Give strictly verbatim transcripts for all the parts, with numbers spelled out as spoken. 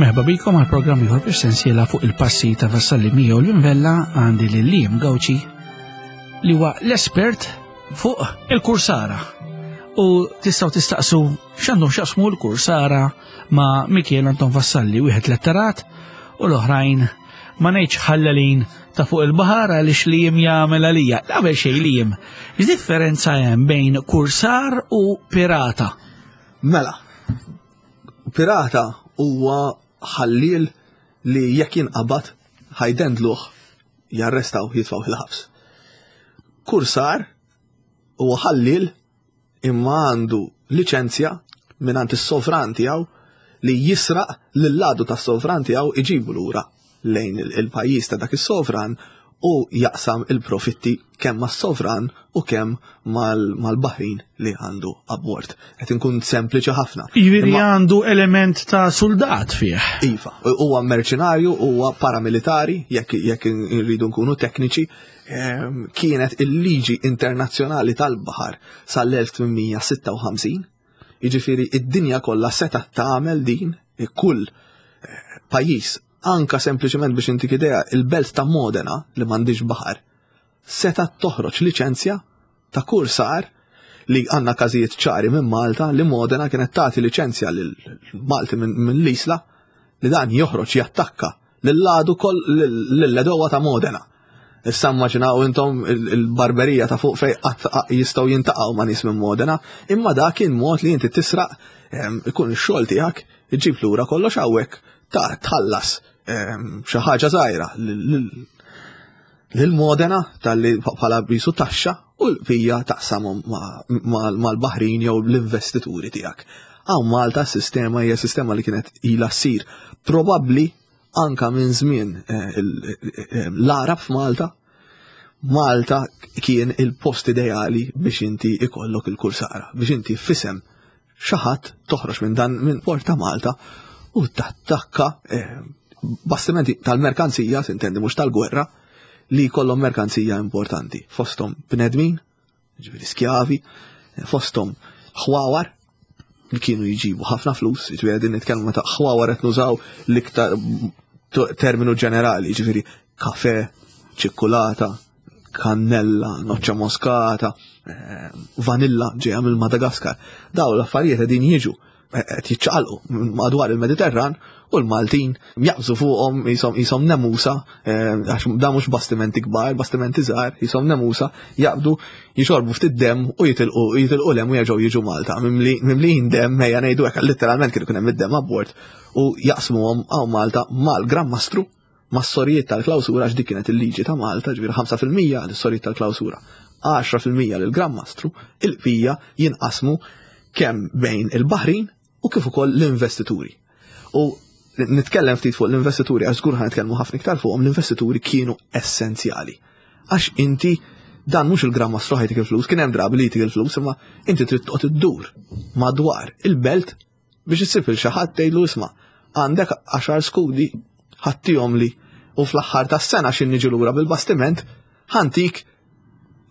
Merħba bikom għal programm ieħor fis-sensiela fuq il-passi ta' Vassalli Mio l-Invella. Għandi lil Liam Gauci li huwa l-espert fuq il-kursara. U tistgħu tistaqsu x'għandhom x'jaqsmu l-kursara ma' Mikiel Anton Vassalli, wieħed letterat u l-oħrajn ma ngħidx ħallalin ta' fuq il-baħar għaliex li jim jagħmel għalija. Qabel xejn li jim, x'differenza hemm bejn kursar u pirata? Mela, pirata huwa ħalliel li jekk jinqabad ħajdendluh, jarrestaw, jitfgħu il-ħabs. Kursar huwa ħalliel imma għandu liċenzja mingħand is-sovran tiegħu li jisraq lill-għadu tas-sovran tiegħu, iġibu lura lejn il-pajjiż ta' dak is-sovran u jaqsam il-profitti kemm mas-sovran u kemm mal-baħrin li għandu abbord. Qed inkun sempliċi ħafna. Jiġifieri għandu element ta' soldat fih. Iva, huwa merċenarju, huwa paramilitari, jekk jekk irridu nkunu tekniċi, ehm, kienet il-liġi internazzjonali tal-baħar sal-elf tmien mija sitta u ħamsin, jiġifieri id-dinja kollha seta' tagħmel din, kull eh, pajjiż, anka sempliċement biex intik idea, il-belt ta' Modena li m'għandix baħar, seta' toħroġ liċenzja ta' kursar li għandna każijiet ċari minn Malta li Modena kienet tagħti liċenzja lil Malti minn l-Isla li dan joħroġ jattakka lill-għadu koll lill-għedewwa ta' Modena. Issa immaġinaw intom il-barberija ta' fuq fej qatt jistgħu jintaqgħu ma' nies minn Modena, imma dak kien mod li inti tisraq, ikun ix-xogħol tiegħek, iġib lura kollox hawnhekk ta' tħallas xi ħaġa żgħira lil Modena tal-li bħala bisu taxxa u l-bqija taqsamhom mal-baħrin jew l-investituri tiegħek. Hawn Malta s-sistema hija sistema li kienet ilha ssir probabbli anka minn żmien eh, eh, l-Arab f'Malta. Malta kien il-post ideali biex inti ikollok il-kursara, biex inti f'isem xi ħadd toħroġ minn dan minn port ta' Malta u tattakka eh, bastimenti tal-merkanzija, sintendi mhux tal-gwerra, li kollhom merkanzija importanti. Fosthom bnedmin, ġifieri skjavi, fosthom ħwawar, li kienu jġibu ħafna flus, ġifieri qegħdin nitkellmu meta ħwawar qed nużaw l-iktar terminu ġenerali, ġifieri kafe, ċikkulata, kannella, noċċa moskata, eh, vanilla ġejja mill-Madagaskar. Daw l-affarijiet qegħdin jiġu qed jiċċaqalqu madwar il-Mediterran u l-Maltin jaqbżu fuqhom jisom nemusa, eh, għax da mhux bastimenti kbar, bastimenti żgħar, jisom nemusa, jaqbdu jixorbu ftit dem u jitilqu jitilqu lem u jerġgħu jiġu Malta. Mimlijin dem, ejja ngħidu hekk, letteralment kien ikun hemm id-dem abbord u jaqsmuhom hawn Malta mal-Gran Mastru, mas-sorijiet tal-klawsura, għax dik kienet il-liġi ta' Malta, ġifieri ħamsa fil-mija lis-sorijiet tal-klawsura, għaxra fil-mija lill-Gran Mastru, il-bqija jinqasmu kemm bejn il-baħrin u kif ukoll l-investituri. U nitkellem ftit fuq l-investituri, għax żgur ħa nitkellmu ħafna iktar fuqhom, l-investituri kienu essenzjali. Għax inti dan mhux il-Gran Mastru ħa jtik il-flus, kien hemm drabi li jtik il-flus, imma inti trid toqgħod iddur madwar il-belt biex issib il xi ħadd tgħidlu: "Isma', għandek għaxar skudi, ħa ttihomli u fl-aħħar tas-sena x'ħin niġu lura bil-bastiment ħa ntik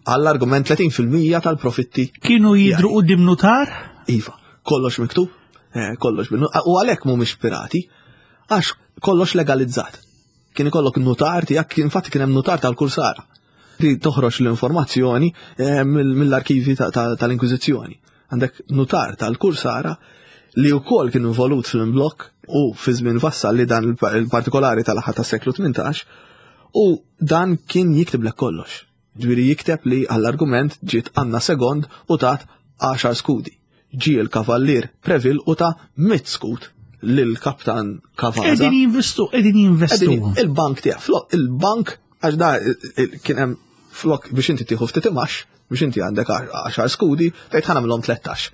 għall-argument tletin fil-mija tal-profitti." Kienu jidru quddiem nutar? Iva, kollox miktub, eh, kollox bil u għalhekk mhumiex pirati, għax kollox legalizzat. Kien ikollok nutar tiegħek, infatti kien hemm nutar tal-kursara. Li toħroġ l-informazzjoni eh, mill-arkivi tal-Inkwiżizzjoni. Għandek nutar tal-kursara li wkoll kien involut fil-blok u fi żmien Vassalli dan il-partikolari tal-aħħar tas-seklu tmintax u dan kien jiktiblek kollox. Ġifieri jikteb li għall-argument ġiet Anna Segond u tat għaxar skudi. Ġi il-kavallier Preville u ta mitt skud lil-kaptan Cavazza. Qegħdin jinvestu, qegħdin jinvestu. Il-bank tiegħek, flok il-bank, għax da kien hemm flok biex inti tieħu ftit imax, biex inti għandek għaxar skudi, tgħid ħa nagħmilhom tlettax.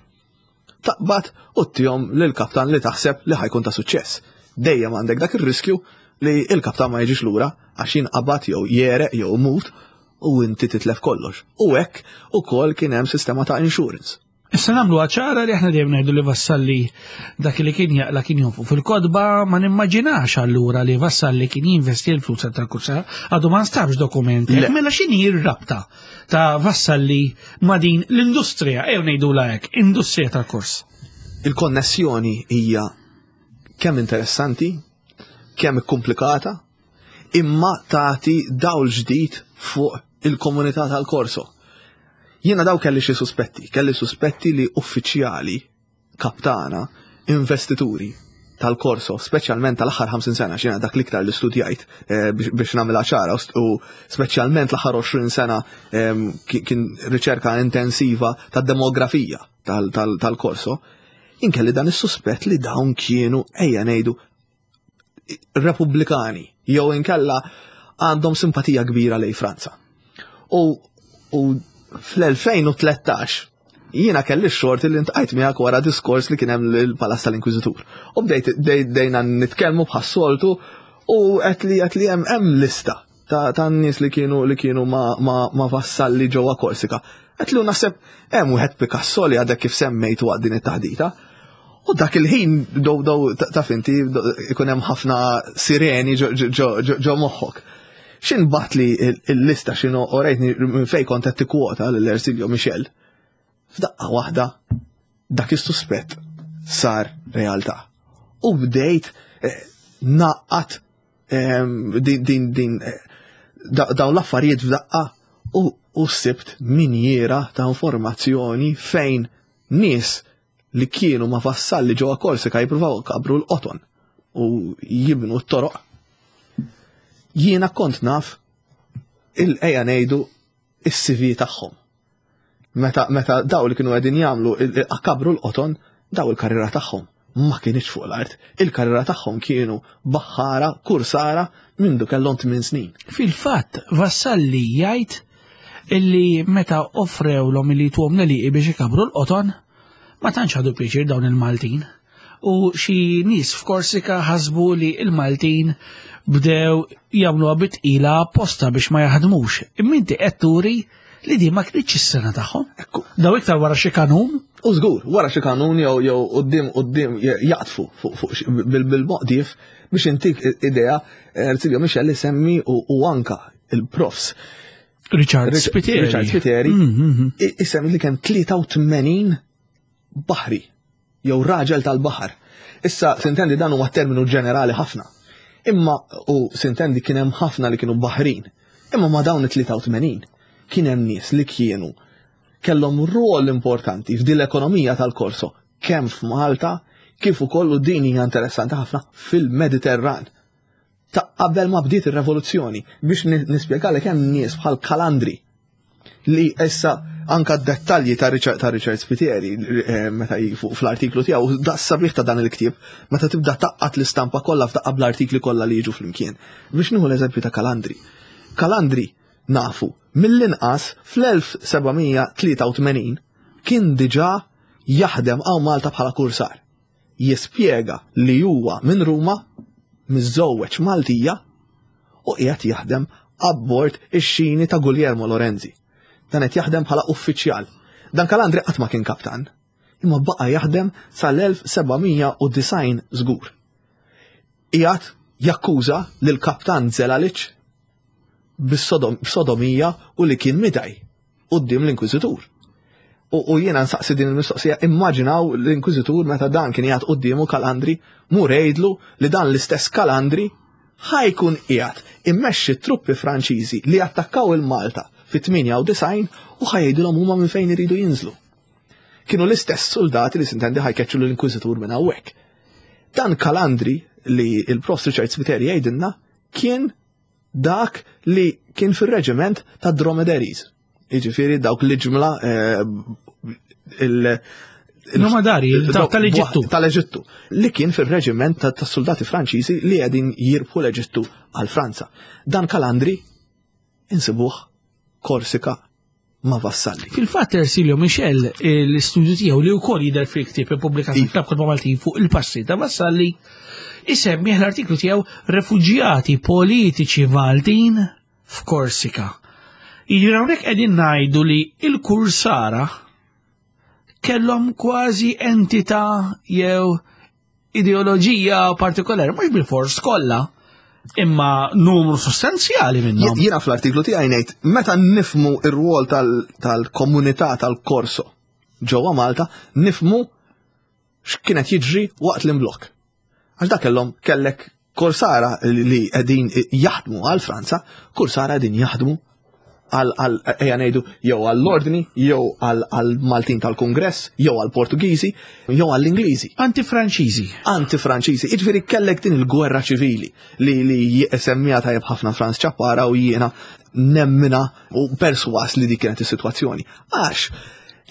Taqbad u ttihom lil-kaptan li taħseb li ħa jkun ta' suċċess. Dejjem għandek dak ir-riskju li il-kaptan ma jiġix lura għax jinqabad jew jereq jew mut u inti titlef kollox. U hekk ukoll kien hemm sistema ta' insurance. Issa nagħmlu ċara li aħna dejjem ngħidu li Vassalli dak li kien jaqla kien jonfu fil-kotba, ma nimmaġinax allura li Vassalli kien jinvesti l-flus tal-kursa, għadu ma nstabx dokumenti. Mela x'inhi r-rabta ta' Vassalli ma' din l-industrija, ejjew ngħidu hekk, industrija tal-kors? Il-konnessjoni hija kemm interessanti kemm komplikata, imma tagħti dawl ġdid fuq il-komunità tal-Korso. Jiena daw kelli xi suspetti, kelli suspetti li uffiċjali, kaptana, investituri tal-Korso, speċjalment tal-aħħar ħamsin sena, xina dak l-iktar li studjajt eh, biex nagħmilha ċara, u speċjalment l-aħħar għoxrin sena kien riċerka intensiva tad-demografija tal-Korso, inkelli dan is-suspett li dawn kienu, ejja ngħidu, repubblikani, jew inkella għandhom simpatija kbira lej Franza. U, u fl-elfejn u tlettax jiena kelli x-xorti li ltqajt miegħek wara diskors li kien hemm l-Palazz tal-Inkwiżitur. U bdejt bdejna nitkellmu bħas-soltu u qed li qed li hemm hemm lista ta' ta' nies li kienu li kienu ma, ma, ma vassalli ġewwa Korsika. Qed li naħseb hemm wieħed Picasso li għadek kif semmejt waqt din it-taħdita. U dak il-ħin dow dow ta' finti ikun hemm ħafna sireni ġo moħħok. Xin bat li il-lista xinu orejtni minn fej kont qed tikkwota lil Ersilio Michel. F'daqqa waħda dak is-suspett sar realtà. U bdejt eh, naqqat din din din eh, dawn l-affarijiet f'daqqa u sibt minjera ta' informazzjoni fejn nies li kienu ma' vassalli ġewwa Korsika jippruvaw kabru l-qoton u jibnu t-toroq. Jiena kont naf il-ejja ngħidu is-C V tagħhom. Meta, meta daw li kienu qegħdin jagħmlu kabru l-qoton, daw il-karriera tagħhom ma kienx fuq l-art. Il-karriera tagħhom kienu baħħara, kursara mindu kellhom tmien snin. Fil-fatt, Vassalli jgħid illi meta offrewlhom li tuhom l biex ikabru l-qoton, ma tantx ħadu pjaċir dawn il-Maltin. U xi nies f'Korsika ħasbu li il-Maltin bdew jagħmluha bitqila apposta biex ma jaħdmux. Imma inti qed turi li di ma kienx is-sena tagħhom. Ekku. Daw iktar wara xi kanun. U żgur, wara xi kanun jew jew quddiem quddiem jaqtfu fuq fuq bil-moqdif. Biex intik idea, Ersilio Michel semmi u anka il-profs Richard Spiteri. Richard Spiteri mm, mm, mm. isemmi li kemm tlieta u tmenin baħri jew raġel tal-baħar. Issa sintendi dan huwa terminu ġenerali ħafna. Imma u sintendi kien hemm ħafna li kienu baħrin. Imma ma dawn it-tlieta u tmenin kien hemm nies li kienu kellhom rol importanti f'din l-ekonomija tal-Korso kemm f'Malta kif ukoll, u din hija interessanti ħafna, fil-Mediterran. Ta' qabel ma bdiet ir-revoluzzjoni, biex nispjegalek, hemm nies bħal Kalandri li issa anka dettalji ta' Richard, ta' Richard Spiteri eh, meta fuq fl-artiklu tiegħu, da sabiħ ta' dan il-ktieb, meta tibda taqqat l-istampa kollha f'daqqa bl-artikli kollha li jiġu flimkien. Biex nieħu l-eżempju ta' Kalandri. Kalandri nafu mill-inqas fl-elf seba' mija tlieta u tmenin kien diġà jaħdem hawn Malta bħala kursar. Jispjega li huwa minn Ruma, miżżewweġ Maltija u qiegħed jaħdem abbord ix-xini ta' Guglielmo Lorenzi. Dan qed jaħdem bħala uffiċjal. Dan Kalandri qatt ma kien kaptan, imma baqa' jaħdem sal-elf seba' mija u disgħin żgur. Qiegħed jakkuża lil kaptan Zelalic bis-sodomija u li kien midaj quddiem l-Inkwiżitur. U, u jiena nsaqsi din il-mistoqsija, immaġinaw l-Inkwiżitur meta dan kien qiegħed quddiemu Kalandri, mur għidlu li dan l-istess Kalandri ħa jkun qiegħed immexxi truppi Franċiżi li attakkaw il-Malta fit-tmienja u disgħin u ħa jgħidulhom huma minn fejn iridu jinżlu. Kienu l-istess soldati li sintendi ħa jkeċċu l-Inkwiżitur minn hawnhekk. Dan Kalandri li il-Prof Richard Spiteri jgħidilna kien dak li kien fil-reġiment ta' Dromedaries. Jiġifieri dawk li ġmla eh, il- Dromadari, tal-Eġittu. Tal-Eġittu. Li kien fil-reġiment ta' soldati Franċiżi li qegħdin jirbħu l-Eġittu għal Franza. Dan Kalandri insibuh Korsika ma' Vassalli. Fil-fatt Ersilio Michel, l-istudju tiegħu li wkoll jidher fil-ktieb ippubblikat fil-Klabb Kotba Maltin fuq il-passi ta' Vassalli, isemmi l-artiklu tiegħu "Refuġjati Politiċi Maltin f'Korsika". Jiġifieri hawnhekk qegħdin ngħidu li il-kursara kellhom kważi entità jew ideoloġija partikolari, mhux bil-fors kollha, imma numru sostanzjali minnhom. Jiena fl-artiklu tiegħi ngħid meta nifmu ir-rwol tal-komunità tal-Korso ġewwa Malta, nifmu x'kienet jiġri waqt l-imblok. Għax dak kellhom kellek Korsara li qegħdin jaħdmu għal Franza, kursara qegħdin jaħdmu għal, ejja ngħidu, jew għall-Ordni, jew għall-Maltin tal-Kungress, jew għall-Portugiżi, jew għall-Ingliżi. Anti-Franċiżi. Anti-Franċiżi. Jiġifieri kellek din il-gwerra ċivili li li semmija tajjeb ħafna Frans Ciappara u jiena nemmina u perswas li dik kienet is-sitwazzjoni. Għax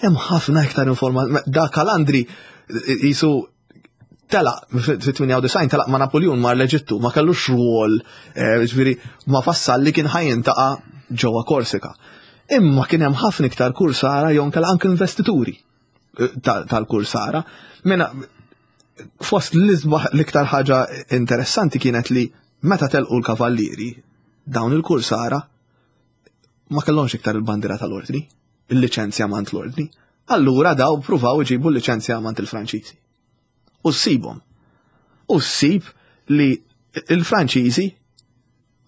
hemm ħafna iktar informazzjoni. Da Kalandri jisu telaq fit-tmienja u disgħin, telaq ma' Napoleon, mar l-Eġittu, ma kellux rwol, eh, ġifieri ma Vassalli kien ħa jiltaqa' ġewwa Korsika. Imma kien hemm ħafna iktar kursara jew inkella anke investituri eh, tal-kursara. Mena fost l-isbaħ, l-iktar ħaġa interessanti kienet li meta telqu l-kavallieri, dawn il-kursara ma kellhomx iktar il-bandira tal-ordni, il-liċenzja mant l-ordni. Allura daw pruvaw iġibu l-liċenzja mant il-Franċiżi. U ssibhom. U ssib li il-Franċiżi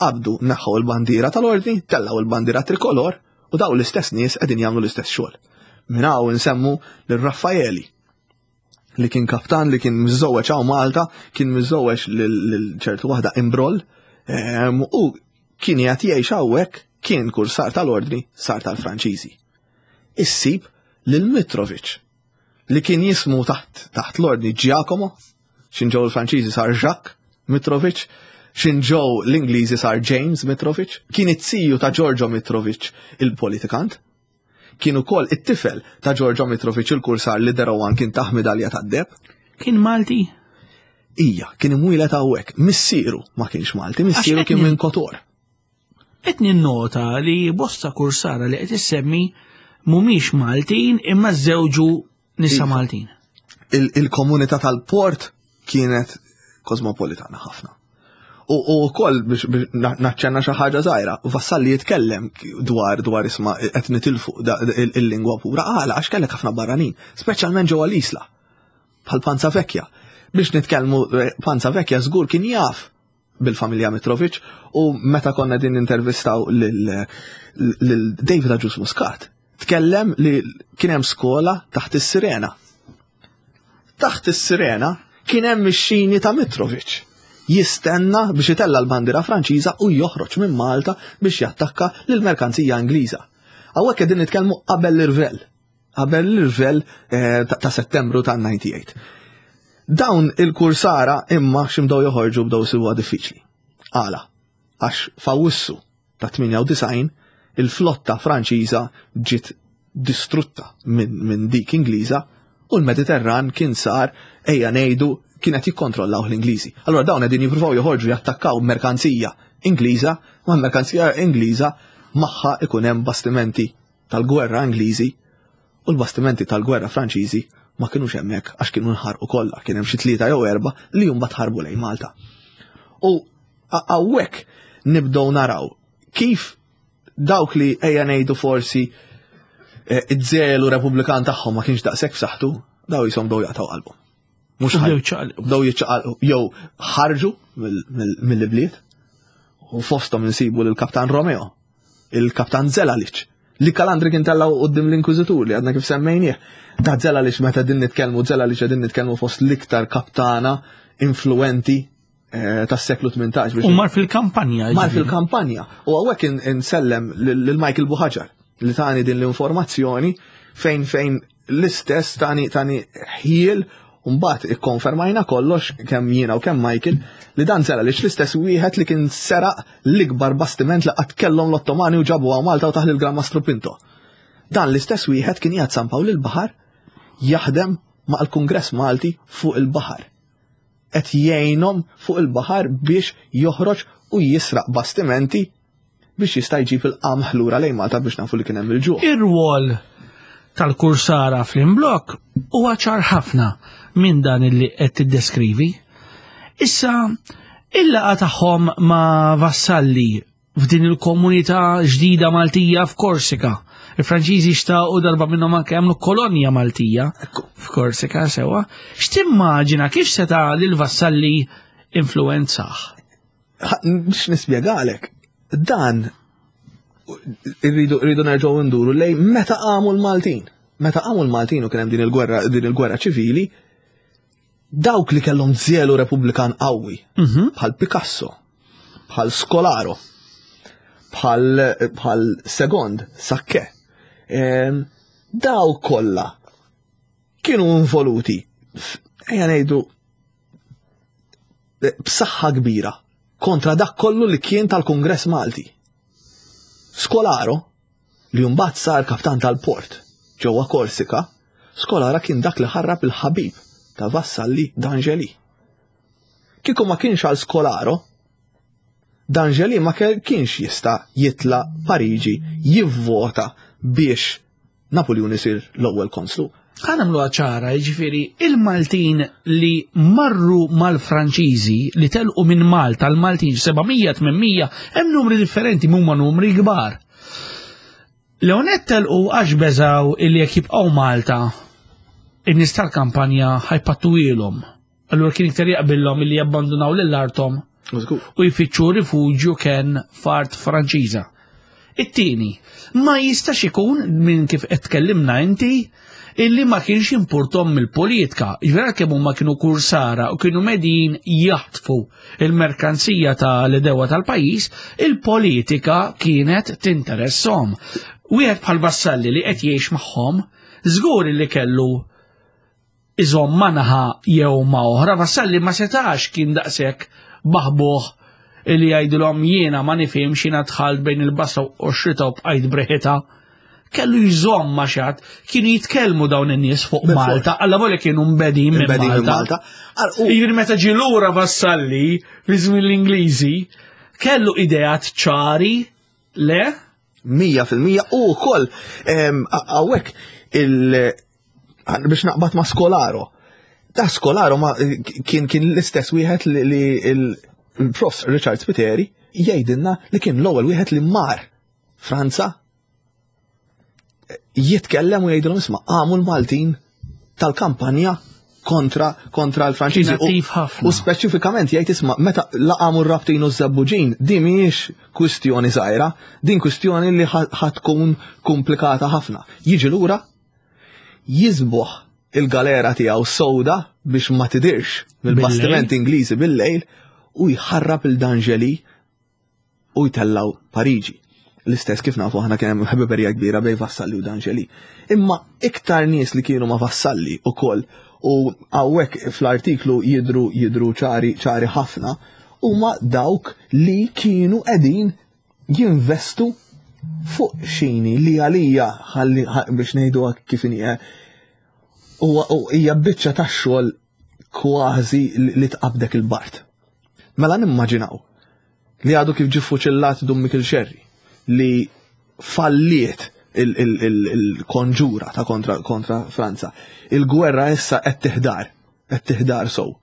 qabdu neħħu il-bandira tal-ordni, tellaw il-bandira trikolor u daw l-istess nies qegħdin jagħmlu l-istess xogħol. Minn hawn insemmu lil Raffaeli li kien kaptan li kien miżżewweġ hawn Malta, kien miżżewweġ lil ċertu waħda Imbroll, ehm, u kien jgħid jgħix hawnhekk, kien kursar tal-ordni, sar tal-Franċiżi. Issib lil Mitrovic li kien jismu taħt taħt l-ordni Giacomo, x'ħin ġew il-Franċiżi sar Jacques Mitrovic, x'ħin ġew l-Ingliżi sar James Mitrovic, kien it-ziju ta' Giorgio Mitrovic il-politikant, kien ukoll it-tifel ta' Giorgio Mitrovic il-kursar li Derowan kien taħ medalja tad-deheb. Kien Malti? Ija, kien imwieled hawnhekk, missieru ma kienx Malti, missieru kien minn Kotor. Qed ninnota li bosta kursara li qed issemmi mhumiex Maltin imma żewġu nisa Iva. Maltin. Il-komunità tal-port kienet kosmopolitana ħafna. U wkoll biex naċċenna xi ħaġa żgħira, Vassalli jitkellem dwar dwar isma' qed nitilfu il-lingwa pura, għala għax kellek ħafna barranin, speċjalment ġewwa l-Isla, bħal Panza Vecchia. Biex nitkellmu, eh, Panza Vecchia żgur kien jaf bil-familja Mitrovic u meta konna din intervistaw lil lil David Agius Muscat, tkellem li kien hemm skola taħt is-Sirena. Taħt is-Sirena kien hemm ix-xini ta' Mitrovic jistenna biex itella l-bandira Franċiża u joħroġ minn Malta biex jattakka lill-merkanzija Ingliża. Hawnhekk qegħdin nitkellmu qabel l-irvel. Qabel l-irvel eh, ta' ta' Settembru ta' disgħa u disgħin. Dawn il-kursara imma x'imdew joħorġu bdew sibuha diffiċli. Għala, għax f'Awwissu ta' tmienja u disgħin il-flotta Franċiża ġiet distrutta minn min dik Ingliża u l-Mediterran kien sar, ejja ngħidu, kienet jikkontrollaw l-Ingliżi. Allora dawn qegħdin jippruvaw joħorġu jattakkaw merkanzija Ingliża, ma merkanzija Ingliża magħha ikun hemm bastimenti tal-gwerra Ingliżi u l-bastimenti tal-gwerra Franċiżi ma kienux hemmhekk għax kienu nħarqu kollha, kien hemm xi tlieta jew erba' li mbagħad ħarbu lejn Malta. U hawnhekk nibdew naraw kif dawk li, ejja ngħidu, forsi eh, iż-żelu Repubblikan tagħhom ma kienx daqshekk f'saħħtu, daw jisom bdew jaqtgħu qalbhom. Mhux U ħaj- bdew jiċċaqalqu. Bdew jiċċaqalqu jew ħarġu mill- mill- mill-bliet u fosthom insibu lill-Kaptan Romeo, il-Kaptan Zelalic, li Kalandri kien tellaw quddiem l-Inkwiżitur li għadna kif semmejnieh. Ta' Zelalic, meta din nitkellmu Zelalic, qegħdin nitkellmu fost l-iktar kaptana influenti eh, tas-seklu tmintax. biex U mar fil-kampanja. Mar ġifieri. fil-kampanja. U hawnhekk in- insellem lil Michael Buhaġar li tani din l-informazzjoni fejn fejn l-istess tani tani ħiel. Mbagħad ikkonfermajna kollox kemm jiena u kemm Michael li dan sera li l-istess wieħed li kien seraq l-ikbar bastiment li qatt kellhom l-Ottomani u ġabu għaw Malta u taħ il-Gran Mastru Pinto. Dan l-istess wieħed kien qiegħed San Pawl il-Baħar jaħdem ma' l-Kungress Malti fuq il-baħar. Qed jgħinhom fuq il-baħar biex joħroġ u jisraq bastimenti biex jista' jġib il-qamħ lura lejn Malta biex nafu li kien hemm il-ġuħ. Ir-rwol tal-kursara fl-imblok huwa ċar ħafna minn dan illi qed tiddeskrivi. Issa, il-laqgħa tagħhom ma' Vassalli f'din il-komunità ġdida Maltija f'Korsika. Il-Franċiżi xtaqu darba minnhom anke jagħmlu kolonja Maltija f'Korsika sewwa. X'timmaġina kif seta' lil Vassalli influenzah? Biex nispjegalek, dan irridu irridu nerġgħu nduru lej meta qamu l-Maltin. Meta qamu l-Maltin u kien hemm din il-gwerra din il-gwerra ċivili, Dawk li kellhom żelu Repubblikan qawwi, Mhm. bħal Picasso, bħal Scolaro, bħal bħal Segond, Sakke, em, daw kollha kienu involuti, f- ejja ngħidu eh, b'saħħa kbira kontra dak kollu li kien tal-Kungress Malti. Scolaro, li mbagħad sar kaptan tal-port ġewwa Korsika, Scolaro kien dak li ħarrab il-ħabib ta' Vassalli D'Angeli. Kieku ma kienx għal Scolaro, D'Angeli ma ke- kienx jista' jitla Pariġi jivvota biex Napoleon isir l-ewwel konslu. Ħa nagħmluha ċara, jiġifieri il-Maltin li marru mal-Franċiżi li telqu minn Malta, l-Maltin seba' mija, tmien mija, hemm numri differenti, huma numri kbar. Leonet telqu għax beżaw illi jekk jibqgħu Malta, in-nies tal-kampanja ħa jpattuhielhom. Allura kien iktar jaqbillhom illi jabbandunaw lil arthom u jfittxu rifuġju kien f'art Franċiża. It-tieni, ma jistax ikun minn kif qed tkellimna inti illi ma kienx jimpurtahom mill-politika. Ġifieri kemm huma kienu kursara u kienu medin jaħtfu il-merkanzija ta' l-edewa tal-pajjiż, il-politika kienet tinteressom. Wieħed bħal Vassalli li qed jgħix magħhom, żgur li kellu iżomm ma' naħa jew ma' oħra, Vassalli ma setax kien daqshekk baħbuħ illi jgħidilhom jiena ma nifhimx, jiena dħalt bejn il-bassa u x-xita u bqajt breħita. Kellu jżomm ma' xi ħadd, kienu jitkellmu dawn in-nies fuq Bil-fors. Malta, alla volja kienu mbedin minn Imbedin minn Malta. Malta. Ar- u- Jiġifieri meta ġie lura Vassalli fi żmien l-Ingliżi, kellu ideat ċari, le? Mija fil-mija u wkoll hawnhekk il biex naqbad ma' Scolaro. Da Scolaro ma kien kien l-istess wieħed li, li il-prof Richard Spiteri jgħidilna li kien l-ewwel wieħed li mar Franza jitkellem u jgħidilhom, isma', għamu l-Maltin tal-kampanja kontra kontra l-Franċiżi. Kien attiv ħafna. U speċifikament jgħid, isma', meta laqamu r-Rabtin u ż-Żebbuġin, din mhijiex kwistjoni żgħira, din kwistjoni li ħa tkun komplikata ħafna. Jiġi lura jiżboħ il-galera tiegħu sowda biex ma tidirx mill-bastiment Ingliżi bil-lejl u jħarrab lil D'Angeli u jtellaw Pariġi. L-istess kif nafu aħna kien hemm ħbiberija kbira bejn Vassalli u D'Angeli. Imma iktar nies li kienu ma' Vassalli ukoll u hawnhekk fl-artiklu jidru jidru ċari ċari ħafna huma dawk li kienu qegħdin jinvestu fuq xini li għalija ħalli biex ngħidu kif inhi huwa hija biċċa tax-xogħol kważi li tqabdek il-bard. Mela nimmaġinaw li għadu kif ġie fuċillat Dun Mikiel Xerri li falliet il-konġura ta' kontra, kontra Franza. Il-gwerra issa qed tiħdar, qed tiħdar sow.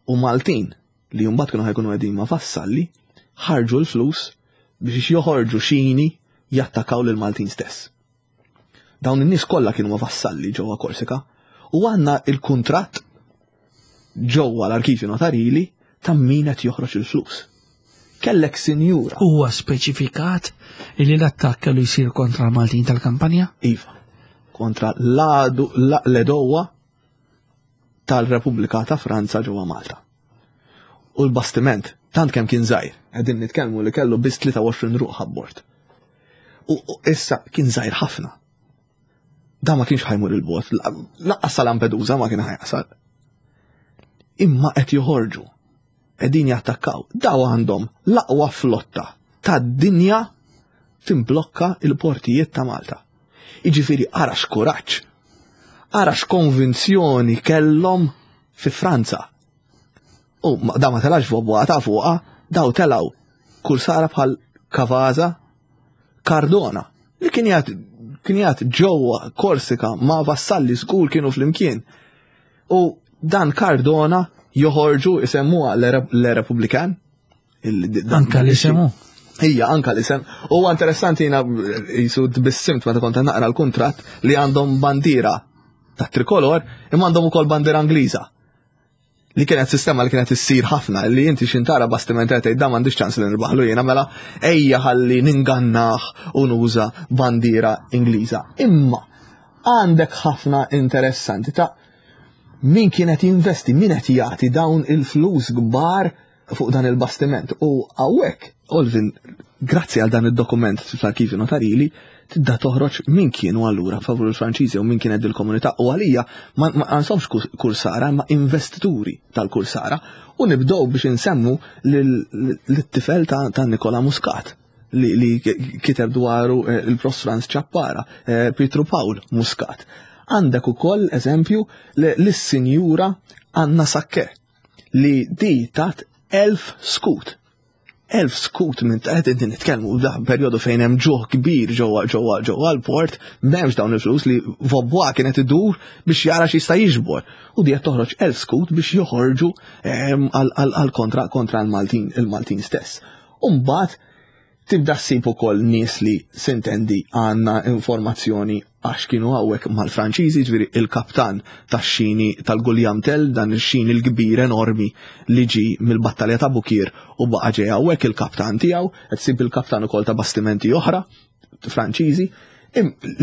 U Maltin li mbagħad kienu ħa jkunu qegħdin ma' Vassalli ħarġu l-flus biex joħorġu xini jattakaw lil Maltin stess. Dawn in-nies kollha kienu ma' Vassalli ġewwa Korsika u għandna il-kuntratt ġewwa l-arkivju notarili ta' min qed joħroġ il-flus. Kellek sinjura. Huwa speċifikat li l-attakk kellu jsir kontra l-Maltin tal-kampanja? Iva. Kontra l-għadu l-għedewwa tal-Repubblika ta' Franza ġewwa Malta. U l-bastiment, tant kemm kien żgħir, qegħdin nitkellmu li kellu biss tlieta u għoxrin ruħ abbord. U issa kien żgħir ħafna. Da ma kienx ħa jmur il-bogħod, lanqas sa Lampedusa ma kien ħa jasal. Imma qed joħorġu, qegħdin jattakkaw, daw għandhom l-aqwa flotta tad-dinja timblokka il-portijiet ta' Malta. Iġifieri ara x'kuraġġ, ara x'konvinzjoni kellhom fi Franza. U da ma telax fuq fuqa, daw telaw kursara bħal Cavazza, Cardona, li kien jgħat kien jgħat ġewwa Korsika ma' Vassalli, żgur kienu flimkien. U dan Cardona joħorġu isemmuha Le Republikan. Anka l-isemu. Ija, anka l-isem. U interessanti, jiena jisu tbissimt meta kont naqra l-kuntratt li għandhom bandiera ta' trikolor imma għandhom ukoll bandiera Ingliża. Li kienet sistema li kienet issir ħafna, li inti xintara bastiment qed da m'għandix ċans li nirbaħlu jiena, mela ejja ħalli ningannah u nuża bandiera Ingliża. Imma għandek ħafna interessanti ta' Min kienet jinvesti, min qed jagħti dawn il-flus kbar fuq dan il-bastiment? U hawnhekk, Olvin, grazzi għal dan id-dokument fl-arkivju notarili, tibda toħroġ min kienu allura favur il-Franċiżi u min kienet il-komunità, u għalija ma għandhomx kursara ma investituri tal-kursara, u nibdew biex insemmu lit-tifel ta' Nikola Muscat li, li kiteb dwaru il-Prof Franz Ciappara, Pietru Pawl Muscat. Għandek ukoll eżempju lis-Sinjura Anna Sakke li di tat elf skut. Elf skut minn qed inti nitkellmu da perjodu fejn hemm ġuħ kbir ġewwa ġewwa ġewwa l-port, m'hemmx dawn il-flus li Vaubois kienet idur biex jara x'jista' jiġbor. U di qed toħroġ elf skut biex joħorġu għal kontra kontra l-Maltin il-Maltin stess. U mbagħad tibda ssib ukoll nies li sintendi għandna informazzjoni għax kienu hawnhekk mal-Franċiżi, ġifieri il-kaptan tax-xini tal-Guljam Tell, dan ix-xini l-kbir enormi li ġi mill-battalja ta' Bukir u baqa' ġej hawnhekk il-kaptan tiegħu, qed ssib il-kaptan ukoll ta' bastimenti oħra Franċiżi,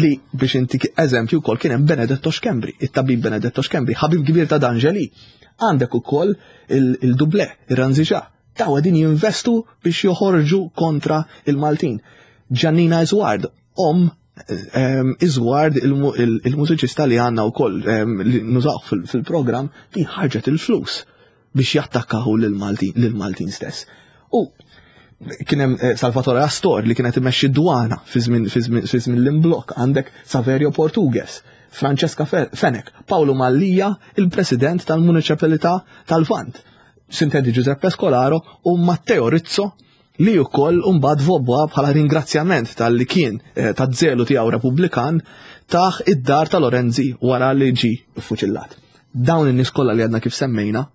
li biex inti eżempju wkoll kien hemm Benedetto Schembri, it-tabib Benedetto Schembri, ħabib kbir ta' D'Angeli. Għandek ukoll il-Dublé, ir-Ranziġa, daw qegħdin jinvestu biex joħorġu kontra il-Maltin. Giannina Isward, om Isward il-mużiċista li għandna wkoll li nużaw fil-programm, li ħarġet il-flus biex jattakkaw lil-Maltin stess. U kien hemm Salvatore Astor li kienet imexxi dwana fi żmien l-imblok, għandek Saverio Portugues, Francesca Fenech, Paolo Mallia, il-president tal-Municipalità tal-Vant, Sintendi Giuseppe Scolaro u Matteo Rizzo li wkoll mbagħad Vaubois bħala ringrazzjament tal-li kien ta' żelu tiegħu Repubblikan taħ id-dar ta' Lorenzi wara li ġi ffuċillat. Dawn in-nies kollha li għadna kif semmejna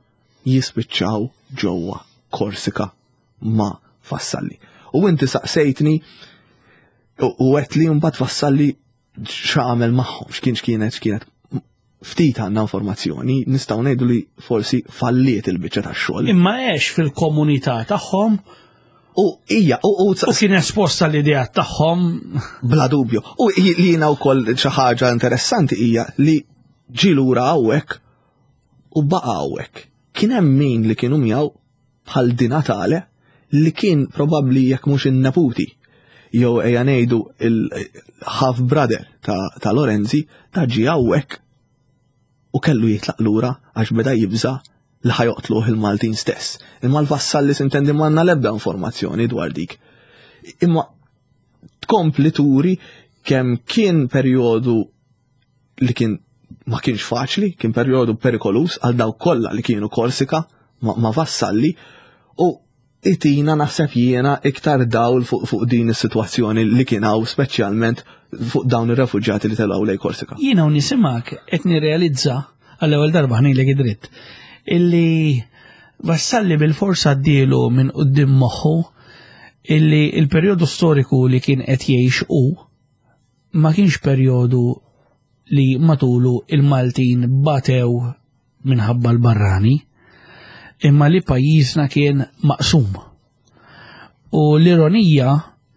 jispiċċaw ġewwa Korsika ma' Vassalli. U inti saqsejtni u għedt li mbagħad Vassalli x'għamel magħhom, x'kien x'kienet x'kienet ftit għandna informazzjoni, nistgħu ngħidu li forsi falliet il-biċċa tax-xogħol. Imma għex fil-komunità tagħhom. U hija, u u kien esposta l-idea tagħhom. Bla dubju. U li jiena wkoll xi ħaġa interessanti hija li ġie lura hawnhekk u baqa' hawnhekk. Kien hemm min li kienu miegħu bħal Di Natale li kien probabbli jekk mhux in-neputi jew ejja ngħidu il-half brother ta' Lorenzi, ta' ġie hawnhekk u kellu jitlaq lura għax beda jibża li ħajoqtluh il-Maltin stess. Imma l-Vassalli sintendi m'għandna l-ebda informazzjoni dwar dik. Imma tkompli turi kemm kien perjodu li kien ma kienx faċli, kien perjodu perikolus għal dawk kollha li kienu Korsika ma, ma Vassalli, u itina naħseb jiena iktar dawl fuq fu din is-sitwazzjoni li kien hawn speċjalment fuq dawn ir-refuġjati li telgħu lejn Korsika. Jiena u nisimak qed nirrealizza għall-ewwel darba ħnejlek id-dritt illi Vassalli bil-forsa għaddielu minn quddiem moħħu illi il-perjodu storiku li kien qed jgħix hu ma kienx perjodu li matulu il-Maltin batew minħabba l-barrani, imma li pajjiżna kien maqsum. U l-ironija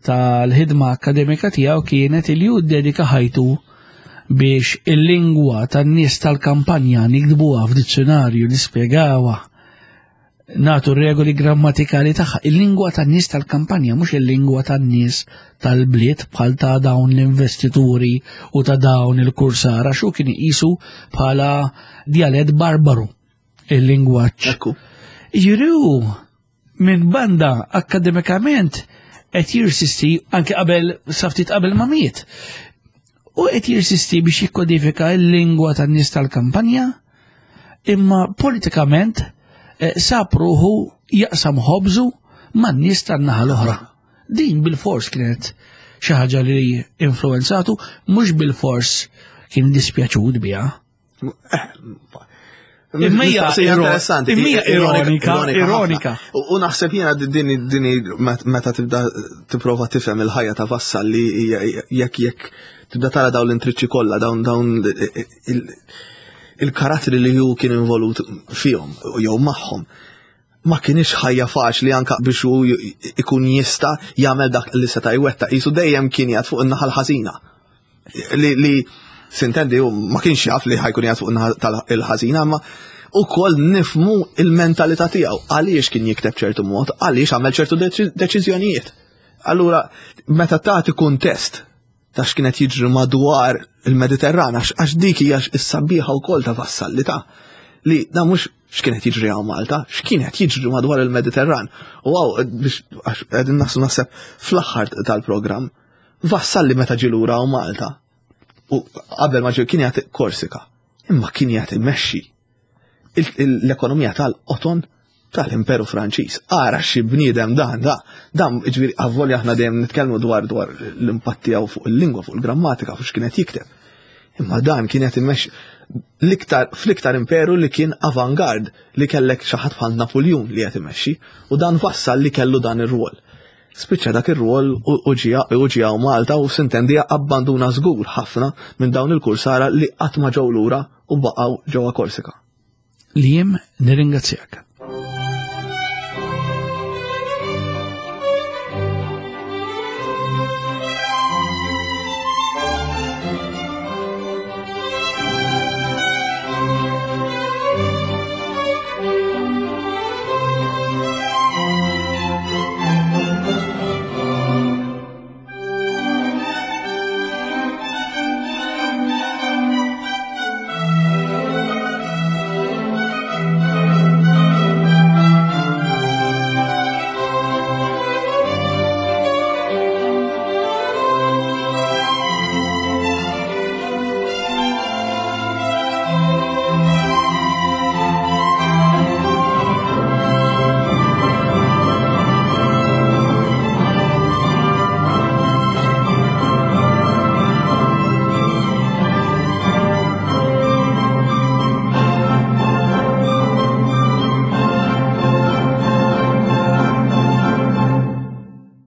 tal-ħidma akademika tiegħu kienet li hu ddedika ħajtu biex il-lingwa tan-nies tal-kampanja nikdbuha f'dizzjonarju, nispjegawha, nagħtu regoli grammatikali tagħha. Il-lingwa tan-nies tal-kampanja mhux il-lingwa tan-nies tal-bliet bħal ta' dawn l-investituri u ta' dawn il-kursara, xu kien iqisu bħala djalett barbaru il-lingwaġġ. Ekku. Jiġifieri minn banda akademikament qed jirsisti anke qabel sa ftit qabel ma miet. U qed jirsisti biex jikkodifika l-lingwa tan-nies tal-kampanja, imma politikament sab ruħu jaqsam ħobżu man-nies tan-naħa l-oħra. Din bil-fors kienet xi ħaġa li influenzatu, mhux bil-fors kien dispjaċut biha. Imma hija Mistoqsija interessanti, imma hija ironika, ironika, ironika ironika. ħafna. U naħseb jiena din din meta tibda tipprova tifhem il-ħajja ta' Vassalli jekk jekk tibda tara dawn l-intriċċi kollha, dawn dawn il-karattri li hu kien involut fihom jew magħhom. Ma kienx ħajja faċli anka biex hu ikun jista' jagħmel dak li seta' jwettaq. Qisu dejjem kien jgħid fuq in-naħa l-ħażina. Li, li S'intendi ma kienx jaf li ħa jkun qiegħed fuq tal-ħażina, ma ukoll nifhmu il-mentalità tiegħu għaliex kien jikteb ċertu mod, għaliex għamel ċertu deċiżjonijiet. Allura, meta tagħti kuntest ta' x'kienet jiġri madwar il-Mediterran, għax dik hija s-sabiħa wkoll ta' Vassalli ta' li da mhux x'kienet jiġri hawn Malta, x'kienet jiġri madwar il-Mediterran. U għaw, biex qegħdin naslu naħseb fl-aħħar tal-programm, Vassalli meta ġie lura hawn Malta, u qabel ma ġie kien jagħti Korsika, imma kien jagħti mexxi l-ekonomija tal-qoton tal-Imperu Franċiż. Ara xi bniedem dan, da, dan ġifieri avolja aħna dejjem nitkellmu dwar dwar l-impatt tiegħu fuq il-lingwa, fuq il-grammatika, fuq x'kienet jikteb. Imma dan kienet imexxi l-iktar fl-iktar imperu li kien avangard li kellek xi ħadd bħal Napoleon li qed imexxi u dan Vassalli kellu dan ir-rwol. Spiċċa dak ir-rwol u ġie Malta u s'intendi abbanduna żgur ħafna minn dawn il-kursara li qatt ma ġew lura u baqgħu ġewwa Korsika. Liam, nirringrazzjak.